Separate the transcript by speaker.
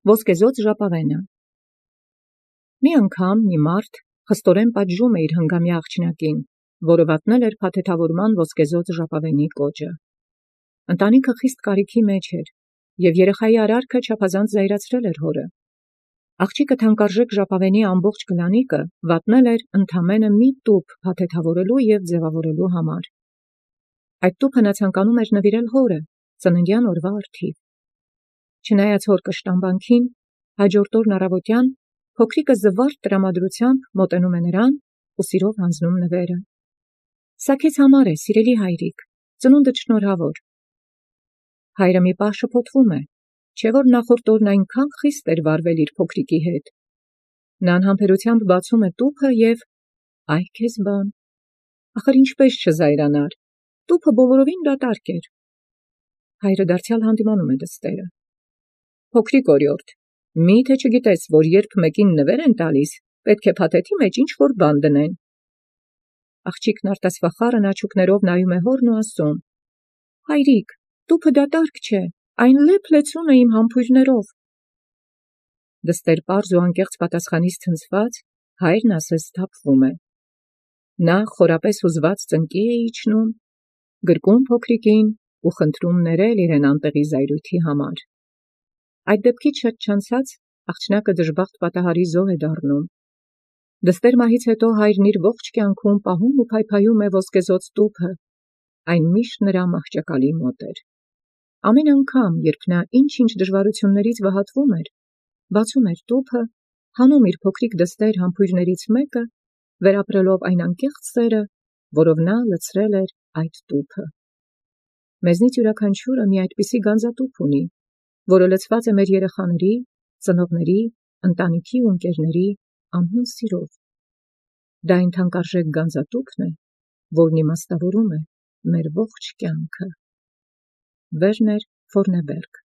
Speaker 1: Ոսկեզօծ ժապավենը։ Մի անգամ մի մարդ խստորեն պատժում իր հնգամյա աղջնակին, որը վատնել էր փաթեթավորման ոսկեզօծ ժապավենի կոճը։ Ընտանիքը խիստ կարիքի մեջ էր, և երեխայի արարքը չափազանց զայրացրել էր հորը։ Աղջիկը թանկարժեք ժապավենի ամբողջ գլանիկը վատնել էր ընդամենը մի տուփ փաթեթավորելու և ձևավորելու համար։ Այդ տուփը նա ցանկանում էր նվիրել հորը, ծննդյան օրվա առթիվ։ Չնայած հոր կշտամբանքին, հաջորդ օրն առավոտյան փոքրիկը զվարթ տրամադրությամբ մոտենում է նրան ու սիրով հանձնում նվերը։ «Սա քեզ համար է, սիրելի հայրիկ, ծնունդդ շնորհավոր»։ Հայրը մի պահ շփոթվում է, չէ՞ որ նախորդ օրն այնքան խիստ էր վարվել իր փոքրիկի հետ։ Նա անհամբերությամբ բացում է տուփը և «Այ քեզ բան, ախր ինչպես չզայրանար, տուփը բոլորովին դատարկ էր»։ Հայրը դարձյալ հանդիմանում է դստերը։ «Փոքրիկ օրիորդ, մի՞թե չգիտես, որ երբ մեկին նվեր են տալիս, պետք է փաթեթի մեջ ինչ-որ բան դնեն»։ Աղջիկն արտասվախառն աչուկներով նայում է հորն ու ասում. «Հայրիկ, տուփը դատարկ չէ, այն լեփ-լեցուն է իմ համբույրներով»։ Դստեր պարզ ու անկեղծ պատասխանից ցնցված, հայրն ասես սթափվում է։ Նա խորապես հուզված ծնկի է իջնում, գրկում փոքրիկին ու խնդրում ներել իրեն անտեղի զայրույթի համար։ Այդ դեպքից շատ չանցած աղջնակը դժբախտ պատահարի զոհ է դառնում։ Դստեր մահից հետո հայրն իր ողջ կյանքում պահում ու փայփայում է ոսկեզօծ տուփը, այն միշտ նրա մահճակալի մոտ էր։ Ամեն անգամ, երբ նա ինչ-ինչ դժվարություններից վհատվում էր, բացում էր տուփը, հանում իր փոքրիկ դստեր համբույրներից մեկը, վերապրելով այն անկեղծ սերը, որով նա լցրել էր այդ տուփը։ Մեզնից յուրաքանչյուրը մի այդպիսի գանձատուփ ունի, որը լցված է մեր երեխաների, ծնողների, ընտանիքի ու ընկերների անհուն սիրով։ Դա այն թանկարժեք գանձատուփն է, որն իմաստավորում է մեր ողջ կյանքը։ Վերներ Ֆորնեբերգ